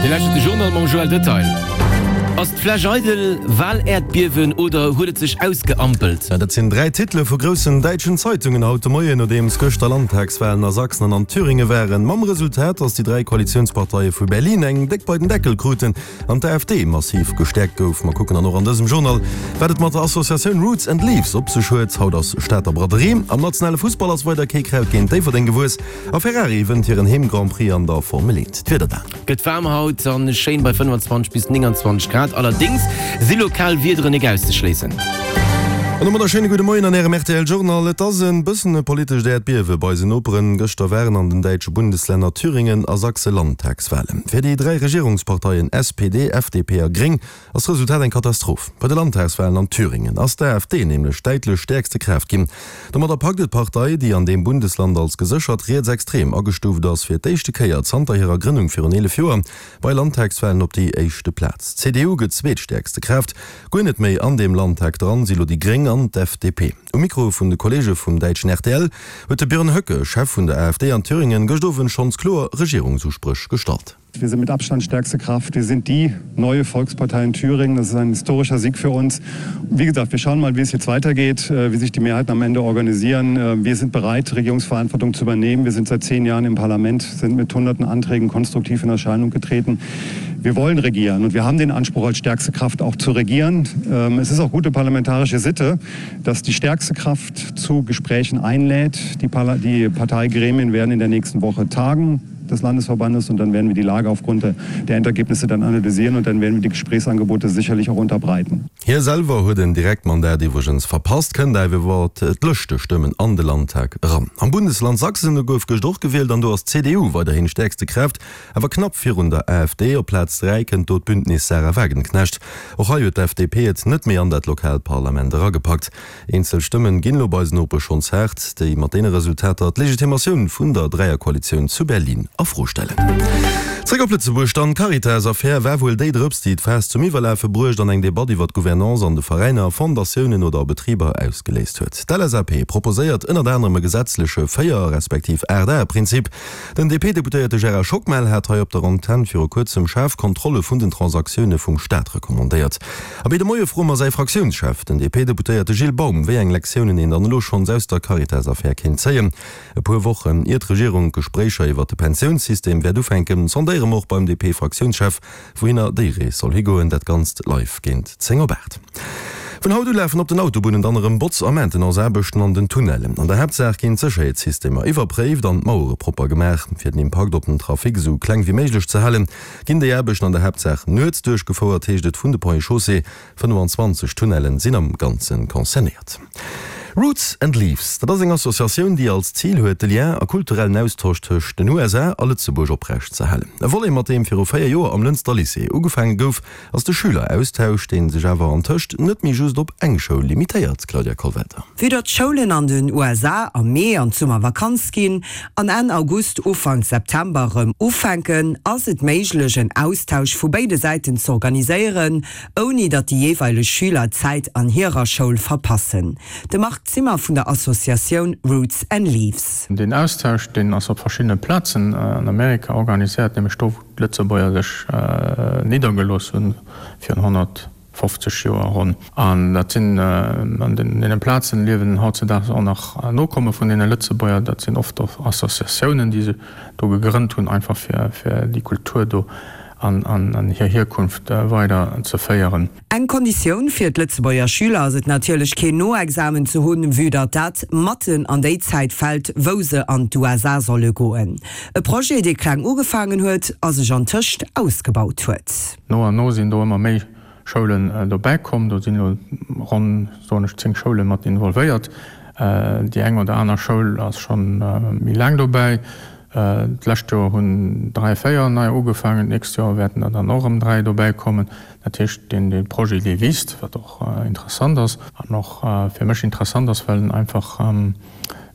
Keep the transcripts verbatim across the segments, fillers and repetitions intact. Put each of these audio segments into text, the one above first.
Dir lauschtert de Journal mam Joël Detail. Ass d'Fläsch eidel, Wal-Äerdbiewen oder huet et sech ausgeampelt? Ja, dat sinn dräi Titele vu groussen däitschen Zeitungen haut de Moien, nodeems gëschter Landtagswalen a Sachsen an an Thüringe waren. Mam Resultat, datt déi dräi Koalitiounsparteie vu Berlin eng déck bei den Deckel kruten an d'AfD massiv gestäerkt gouf. Mer kucken dann och an dësem Journal, wat et mat der Associatioun Roots and Leaves op sech huet. Haut ass Stater Braderie. Am nationale Fussball ass weider kee Kraut géint Déifferdeng gewuess a Ferrari wënnt hiren Heem-Grand-Prix an der Formel eent. D'Wieder dan. Gëtt waarm haut an schéin bei fënnefenzwanzeg bis nénganzwanzeg Grad, allerdéngs si lokal Wiederen nik auszeschléissen. An domadder schéine gudde Moien an Ärem rtl Journal. Et ass e bëssen e politescht Äerdbiewe bei eisen Noperen. Gëschter waren an den däitsche Bundeslänner Thüringen a Sachse Landtagswalen. Fir déi dräi Regierungsparteien S P D, F D P a Gréng ass d'Resultat eng Katastroph. Bei de Landtagswalen an Thüringen ass d'AfD nämlech däitlech stäerkste Kraaft ginn. Domadder packt et d'Partei, déi an deem Bundesland als geséchert rietsextrem agestuuft ass, fir d'éischte Kéier zanter hirer Grënnung virun eelef Joer bei Landtagswalen op déi éischte Plaz. D'C D U gëtt zweetstäerkste Kraaft. Guer net méi an deem Landtag dran si lo déi Gréng an d'F D P. Um Mikro vun de Kolleege vum däitschen R T L huet de Björn Höcke, Chef vun der AfD an Thüringen, gëscht Owend schonns kloer Regierungsuspréch gestallt. Wir sind mit Abstand stärkste Kraft. Wir sind die neue Volkspartei in Thüringen. Das ist ein historischer Sieg für uns. Wie gesagt, wir schauen mal, wie es jetzt weitergeht, äh, wie sich die Mehrheiten am Ende organisieren. Äh, wir sind bereit, Regierungsverantwortung zu übernehmen. Wir sind seit zehn Jahren im Parlament, sind mit hunderten Anträgen konstruktiv in Erscheinung getreten. Wir wollen regieren und wir haben den Anspruch, als stärkste Kraft auch zu regieren. Ähm, es ist auch gute parlamentarische Sitte, dass die stärkste Kraft zu Gesprächen einlädt. Die, Parla die Parteigremien werden in der nächsten Woche tagen des Landesverbandes und dann werden wir die Lage aufgrund der Endergebnisse dann analysieren und dann werden wir die Gesprächsangebote sicherlich auch unterbreiten. Hie selwer huet en Direktmandat iwwregens verpasst, kënnt awer iwwer d'Lëschtestëmmen an de Landtag eran. Am Bundesland Sachsen gouf gëscht och gewielt an do ass d'C D U weiderhin stäerkste Kraaft, awer knapp virun der AfD. Op Plaz dräi kënnt do d'Bündnis Sahra Wagenknecht. Och hei huet d'F D P et net méi an dat lokaalt Parlament eragepackt. Eenzel Stëmmen ginn elo bei eisen Nopesch schonns haart, déi mat deene Resultater d'Legitimatioun vun der Dräierkoalitioun zu Berlin a Fro stellen. Zréck op Lëtzebuerg dann, D'Caritas-Affär war wuel déi Drëps, déi d'Faass zum Iwwerlafe bruecht an eng Debatt iwwer d'Gouvernance an de Veräiner, Fondatiounen oder Betriber ausgeléist huet. D'L S A P proposéiert ënnert anerem e gesetzleche véier respektiv aacht-Ae-Prinzip. Den D P-Deputéierte Gérard Schockmel hat hei op der Antenn viru kuerzem schaarf Kontrolle vun den Transaktioune vum Staat recommandéiert. A béi de Moie froe mer säi Fraktiounschef, den D P-Deputéierte Gilles Baum, wéi eng Lektiounen een dann elo schonns aus der Caritas-Affär kéint zéien. E puer Wochen ier d'Regierung d'Gespréicher iwwer de Pensiounssystem wäert ufänken, sondéiere mer och beim D P-Fraktiounschef, wouhinner déi Rees soll higoen. Dat Ganzt live géint zéng op aacht. Vun haut u lafen op den Autobunnen dann erëm Botz a Maintenance-Aarbechten an den Tunnellen. An der Haaptsaach ginn d'Sécherheetssystemer iwwerpréift an d'Mauere propper gemaach. Fir den Impakt op den Trafic esou kleng wéi méiglech ze halen, ginn déi Aarbechten an der Haaptsaach nuets duerchgefouert, heescht et vun de Ponts et Chaussées. fënnefenzwanzeg Tunnellen sinn am Ganze concernéiert. Roots and Leaves, dat ass eng Associatioun, déi als Zil huet, de Lien a kulturellen Austosch tëscht den U S A a Lëtzebuerg oprecht ze halen. E Volet, mat deem viru véier Joer am Lënster Lycée ugefaange gouf, ass de Schüleraustausch, dee sech awer antëscht net méi just op eng Schoul limitéiert, Claudia Kollwelter. Vue datt d'Schoulen an den U S A am Mee an d'Summervakanz ginn an Enn August, Ufank September erëm ufänken, ass et méiglech en Austausch vu béide Säiten z'organiséieren, ouni datt déi jeeweileg Schüler Zäit an hirer Schoul verpassen. De Marc Zimmer vun der Associatioun Roots and Leaves. Den Austausch, deen ass op verschiddene Plazen an Amerika organiséiert, nämlech do wou d'Lëtzebuerger sech niddergelooss hunn virun honnertfofzeg Joer ronn. An dat sinn an deene Plazen liewen hautzedaags och nach Nokomme vun deene Lëtzebuerger. Dat sinn oft och Associatiounen, déi se do gegrënnt hunn, einfach fir fir déi Kultur do an an hir Hierkunft weider ze féieren. Eng Konditioun fir d'Lëtzebuerger Schüler ass et natierlech keen Noexamen ze hunn, vue datt dat matten an déi Zäit fält, wou se an d'U S A solle goen. E Projet, dee kleng ugefaangen huet a sech antëscht ausgebaut huet. No an no sinn do ëmmer méi Schoulen dobäi komm. Do sinn elo ronn, soen ech, zéng Schoule mat involvéiert. Déi eng oder aner Schoul ass scho méi laang dobäi. D'lescht Joer hunn dräi, véier nei ugefaangen, d'nächst Joer wäerten der dann och erëm dräi dobäi kommen. Dat heescht, deen dee Projet, dee wiisst, wat och interessant ass an och fir mech interessant ass, well en einfach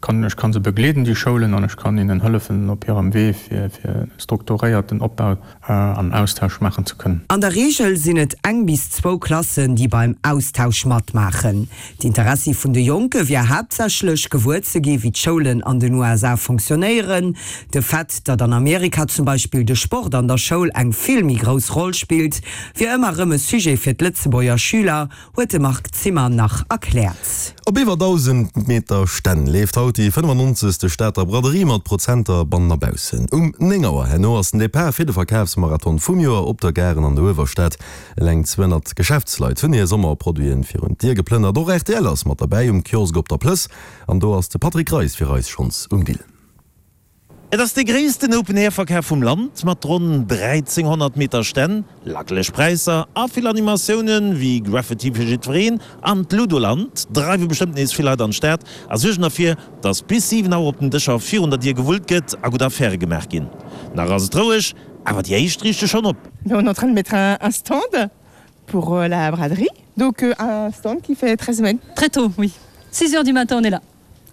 kann, ech kann se begleeden, déi Schoulen, an ech kann hinnen hëllefen op hirem Wee fir, fir strukturéierten Opbau an Austausch maachen ze kënnen. An der Reegel sinn et eng bis zwou Klassen, déi beim Austausch matmaachen. D'Interessi vun de Jonke wier haaptsächlech, gewuer ze gi wéi d'Schoulen an den U S A fonctionnéieren. De Fait, datt an Amerika zum Beispill de Sport an der Schoul eng vill méi grouss Roll spillt, wier ëmmer erëm e Sujet fir d'Lëtzebuerger Schüler, huet de Marc Zimmer nach erkläert. Op iwwer dausend Meter Stänn leeft haut déi fënnefannonzegste Stater Braderie mat Prozenter bannen a baussen. Um néng Auer herno ass den Depart fir de Verkafsmarathon vum Joer op der Gare an der Uewerstad. Eleng zweehonnert Geschäftsleit hunn hir Sommerproduiten virun d'Dier geplënnert. Och R T L ass mat derbäi um Kiosk op der Plëss an do ass de Patrick Reis fir eis schonns um Dill. Et ass de gréissten Open-Air-Verkaf vum Land mat ronn dräizénghonnert Meter Stänn, lackeleg Präisser a vill Animatiounen, wéi Graffiti fir jiddwereen an d'Ludoland dreiwe bestëmmt nees vill Leit an d'Stad a suergen derfir, dass bis siwen Auer op den Dëscher virun der Dier gewullt gëtt a gutt Affäre gemaach ginn. Nach ass et roueg, awer déi éischt riichte schonn op. On est en train de mettre un stand pour la braderie, donc un stand qui fait treize mètres. Très tôt, oui. Six heures du matin, on est là.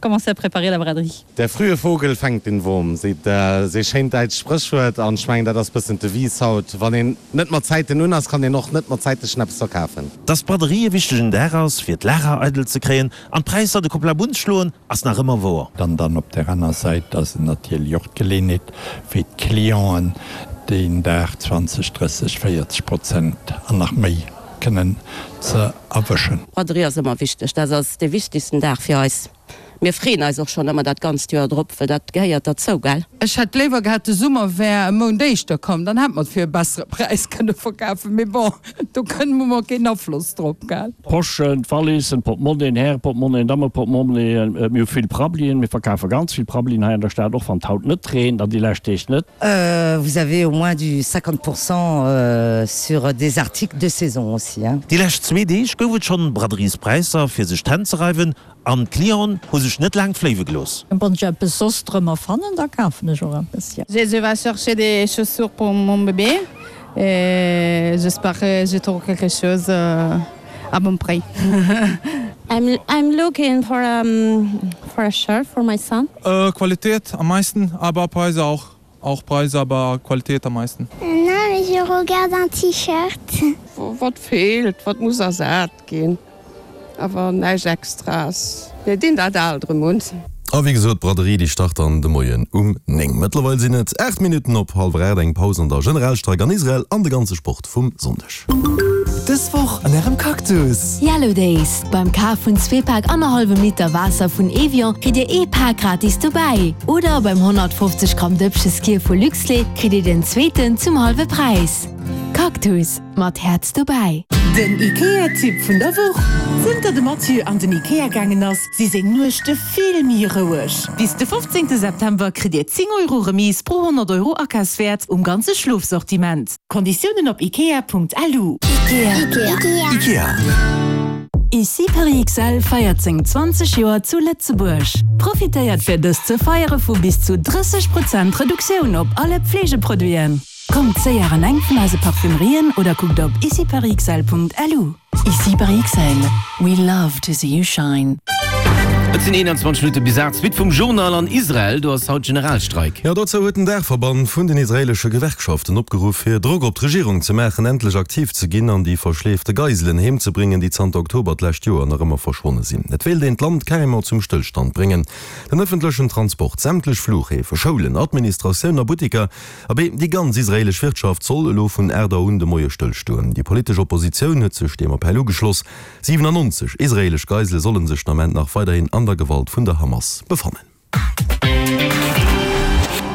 Commencer à préparer la braderie. Der frühe Vogel fängt den Wurm, seet e schéint däitscht Spréchwuert an ech mengen dat ass bëssen d'Devise haut. Wann een net mat Zäiten un ass, kann een och net mat Zäiten eppes verkafen. Dass d'Braderie e wichtegen Dag ass, fir d'Lager eidel ze kréien an d'Präisser de Koplabunn schloen, ass nach ëmmer wouer. An dann op der aner Säit ass et natierlech och d'Geleeënheet fir d'Clienten deen Dag zwanzeg, drësseg, véierzeg Prozent an nach méi kënnen ze erwëschen. D'Braderie ass ëmmer wichteg, dat ass dee wichtegsten Dag fir eis. Mir freeën eis och schonn ëmmer dat ganzt Joer drop, well dat gehéiert derzou, gell? Ech hätt léiwer gehat, de Summer wär e Mount éischter komm, dann hätt mer et fir e bessere Präis kënne verkafen, mee bon, do kënne mer keen Afloss drop, gell? D'Poschen, d'Wallissen, d'Portmonnien, Häreportmonnien, Dammeportmonnien, mir hu vill Prabbelien, mir verkafe ganz vill Prabbelien hei an der Stad, och wann et haut net reent an déi lescht Deeg net. Vous avez au moins du cinquante pour cent sur des articles de saison aussi, hein. Déi lescht zwee Deeg gouf et schonn Braderiespräisser fir sech d'Hänn ze reiwen an d'Clienten hu sech net laang fléiwe gelooss. Wann ech eppes soss drëmmer fannen, da kafen ech och eppes, jo. Je vais chercher des chaussures pour mon bébé et j'espère que je trouve quelque chose à bon prix. I'm, I'm looking for a, for a shirt for my son. Äh, Qualität am meisten, aber Preise auch. Auch Preise, aber Qualität am meisten. Non, mais je regarde un T-Shirt. Wat feelt, wat muss ersat ginn, awer näischt Extraes. Mir dinn dat alt erëm un. A wéi gesot, d'Braderie déi start dann de Moien um néng. Mëttlerweil sinn et aacht Minutten op hallwer aacht. Eng Paus an der Generalstreik an Israel an de ganze Sport vum Sonndeg. Dës Woch an Ärem Cactus! Yellow Days, Beim Kaf vun zwee Pak annerhallwem Liter Waasser vun Evian kritt Dir ee Pak gratis dobäi. Oder beim honnertfofzeg Gramm Dëppche Skyr vu Luxlait kritt Dir den zweeten zum hallwe Präis. Cactus, mat Häerz dobäi! Den IKEA-Tipp vun der Woch, Zënter de Mathieu an den IKEA gaangen ass, si seng Nuechte vill méi roueg. Bis de fofzéngte September kritt Dir zéng Euro Remise pro honnert Euro Akafswäert um ganze Schlofsortiment. Konditiounen op ikea Punkt L U. Ikea. Ikea. Ici Paris X L feiert seng zwanzeg Joer zu Lëtzebuerg. Profitéiert fir dëst ze feiere vu bis zu drësseg Prozent Reduktioun op alle Pflegeproduiten. Kommt séier an eng vun eise Parfümerien oder kuckt op iciparisxl Punkt L U. Ici Paris X L, we love to see you shine. Et sinn eenanzwanzeg Minutte bis aacht. Suite vum Journal an Israel, do ass haut Generalstreik. Jo, dozou huet den Daachverband vun den israeelesche Gewerkschaften opgeruff, fir Drock op d'Regierung ze maachen, endlech aktiv ze ginn an déi verschleefte Geiselen heem ze bréngen, déi zanter Oktober d'lescht Joer nach ëmmer verschwonne sinn. Et wéilt een d'Land carrément zum Stëllstand bréngen. Den ëffentlechen Transport, sämtlech Fluchhäfe, Schoulen, Administratioun a Butteker, abee déi ganz israeelesch Wirtschaft soll elo vun aacht Auer un de Moie stëllstoen. Déi politesch Oppositioun huet sech deem Appell ugeschloss. siwenannonzeg israeelesch Geisele solle sech den Ament nach weiderhin an der Gewalt vun der Hamas befannen.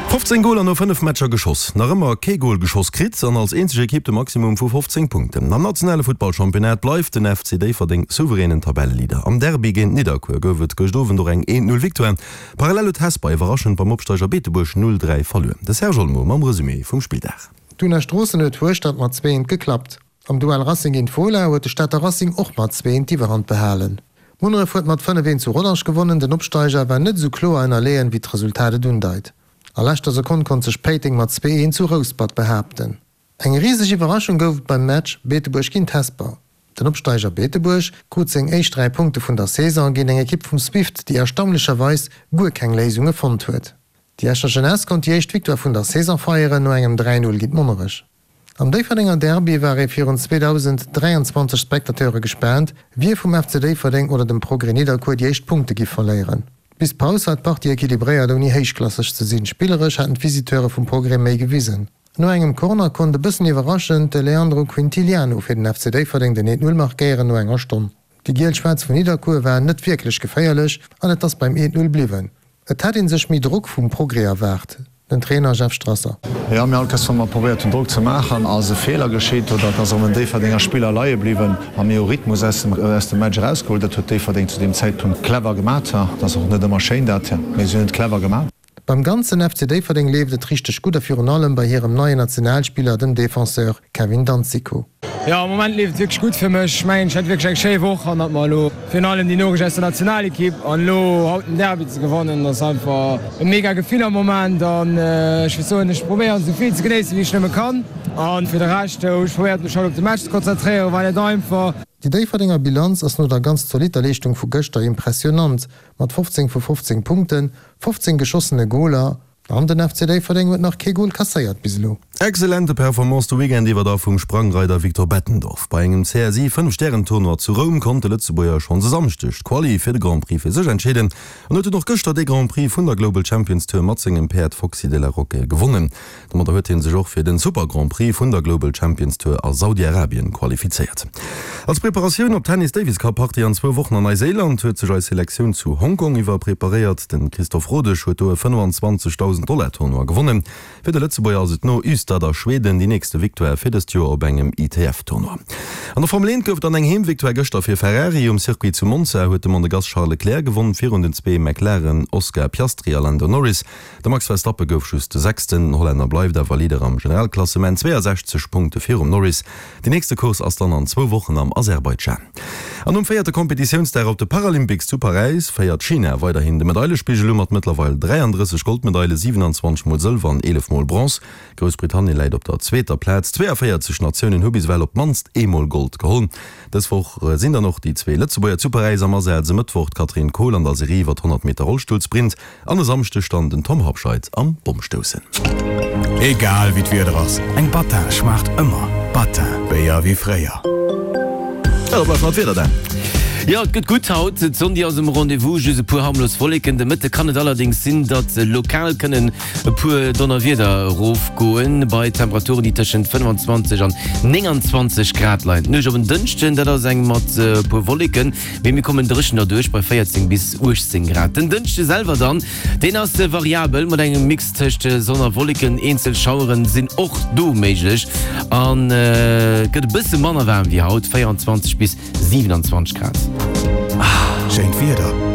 fofzéng Goler no fënnef Matcher geschoss, nach ëmmer kee Gol geschoss kritt an als eenzeg Ekipp de Maximum vu fofzéng Punkten. Am nationale Futtballchampionnat bleift den F C Déifferdeng souveränen Tabelleleader. Am Derby géint Nidderkuer gouf et gëscht Owend och eng eent Null Victoire. Parallel huet Hesper iwwerraschend beim Opsteiger Beetebuerg null dräi verluer. De Serge Olmo mam Resumé vum Spilldag. D'Duna Stroossen huet Hueschtert mat zwee eent geklappt. Am Duell Racing géint Fola huet de Stater Racing och mat zwee eent d'Iwwerhand behalen. Munneref huet mat fënnef eent zu Rodange gewonnen. Den Opsteiger war net esou kloer ënnerleeën, wéi d'Resultat et undeit. A leschter Sekonn konnt sech Péiteng mat zwee eent zu Rouspert behaapten. Eng riseg Iwwerraschung gouf et beim Match Beetebuerg géint Hesper. Den Opsteiger Beetebuerg krut seng éischt dräi Punkte vun der Saison géint eng Ekipp vum Swift, déi erstaunlecherweis guer keng Léisunge fonnt huet. Déi Escher Jeunesse konnt déi éischt Victoire vun der Saison feieren no engem dräi Null géint Monnerech. Am Déifferdenger Derby war ee virun zweedausend dräianzwanzeg Spectateure gespaant, wie vum F C Déifferdeng oder dem Progrès Nidderkuer déi éischt Punkte giff verléieren. Bis d'Paus war d'Partie equilibréiert ouni héichklasseg ze sinn. Spilleresch haten d'Visiteure vum Progrès méi gewisen. No engem Corner konnt e bëssen iwwerraschend de Leandro Quintiliano fir den F C Déifferdeng den eent Null markéieren no enger Stonn. Déi Giel-Schwaarz vun Nidderkuer waren net wierklech geféierlech an et ass beim eent Null bliwwen. Et hätt ee sech méi Drock vum Progrès erwaart, den Trainer Jeff Strasser. Jo, mir all Kéiers wa mer probéiert hunn Drock ze maachen, ass e Feeler geschitt oder et ass erëm en Déifferdenger Spiller leie bliwwen a mir hu Rhythmus aus dem aus dem Match erausgeholl. Dat huet Déifferdeng zu deem Zäitpunkt clever gemat. Dat ass och net ëmmer schéin dat, mee si hunn et clever gemat. Beim ganzen F C Déifferdeng leeft et richteg gutt a virun allem bei hirem neien Nationalspiller, dem Defenseur Kevin Danzico. Jo, am Moment leeft et wierklech gutt fir mech. Ech mengen, ech hat wierklech eng schéi Woch an hat mer elo virun allem déi Noriicht aus der Nationalekipp an elo haut den Derby ze gewannen, ass einfach e mega Gefill am Moment an ech wëll soen, ech probéieren esou vill ze genéissen, wéi ech nëmme kann an fir de Rescht hu ech probéiert mech haut op de Match ze konzentréieren, war net einfach. Déi Déifferdenger Bilanz ass no der ganz zolitter Leeschtung vu gëschter impressionant, mat fofzéng vu fofzéng Punkten, fofzéng geschossene Goler an den F C Déifferdeng huet nach kee Gol kasséiert bis elo. Exzellente Performance de Weekend iwwer da vum Sprangreider Victor Bettendorf. Bei engem C S I Fënnf-Stären-Tournoi zu Roum konnt de Lëtzebuerger schonns e Samschdeg d'Quali fir de Grand Prix fir sech entscheeden an huet dunn och gëschter de Grand Prix vun der Global Champions Tour mat sengem Päerd Foxy de la Roque gewonnen. Domadder huet hie sech och fir den Super Grand Prix vun der Global Champions Tour a Saudi-Arabien qualifizéiert. Als Preparatioun op d'Tennis Davis Cup Partie an zwou Wochen an Neiséiland huet sech eis Selektioun zu Hongkong iwwer preparéiert. De Christophe Rodesch huet do e fënnefanzwanzegdausend Dollar Tournoi gewonnen. Fir de Lëtzebuerger ass et no Ystad a Schweden déi nächste Victoire fir dëst Joer op engem I T F Tournoi. An der Formel eent gouf et dann eng Heemvictoire gëschter fir Ferrari. Um Circuit zu Monza huet de Monegass Charles Leclerc gewonn virun den zwee McLaren Oscar Piastri a Lando Norris. De Max Verstappen gouf just de Sechsten. Den Hollänner bleift awer Leader am Generalklassement, zweeasechzeg Punkte virum Norris. Déi nächste Course ass dann an zwou Wochen am Aserbaidschan. An um véierte Kompetitiounsdag op de Paralympics zu Paräis féiert China weiderhin de Medailespigel u mat mëttlerweil dräiandrësseg Goldmedaile, siwenanzwanzeg mol Sëlwer an eelef mol Bronze. Groussbritannien läit op der zweeter Plaz. Zweeavéierzeg Natiounen hu bis ewell op d'mannst eemol Gold geholl. Dës Woch sinn dann och déi zwee Lëtzebuerger zu Paräis am Asaz, e Mëttwoch d'Katrin Kohl an der Serie iwwer honnert Meter Rollstullsprint an e Samschdeg dann den Tom Habscheid am Bommstoussen. Egal wéi d'Wieder ass, eng Battin schmaacht ëmmer. Battin, Béier wéi fréier. Jo, da bleift nach d'Wieder dan. Jo, et gëtt gutt haut. D'Sonn déi ass um Rendez-vous, just e puer harmlos Wolleken. De Mëtte kann et allerdéngs sinn, datt lokal kënnen e puer Donnerwieder erofgoen, bei Temperaturen, déi tëschent fënnefanzwanzeg an nénganzwanzeg Grad leien. D'Nuecht op en Dënschden, dat ass eng mat e puer Wolleken, mee mir kommen dréchen derduerch bei véierzéng bis uechtzéng Grad. Den Dënschde selwer dann, deen ass variabel mat engem Mix tëscht Sonn a Wolleken. Eenzel Schaueren sinn och do méiglech an et gëtt e bësse manner waarm wéi haut, véieranzwanzeg bis siwenanzwanzeg Grad. Schéint Wieder.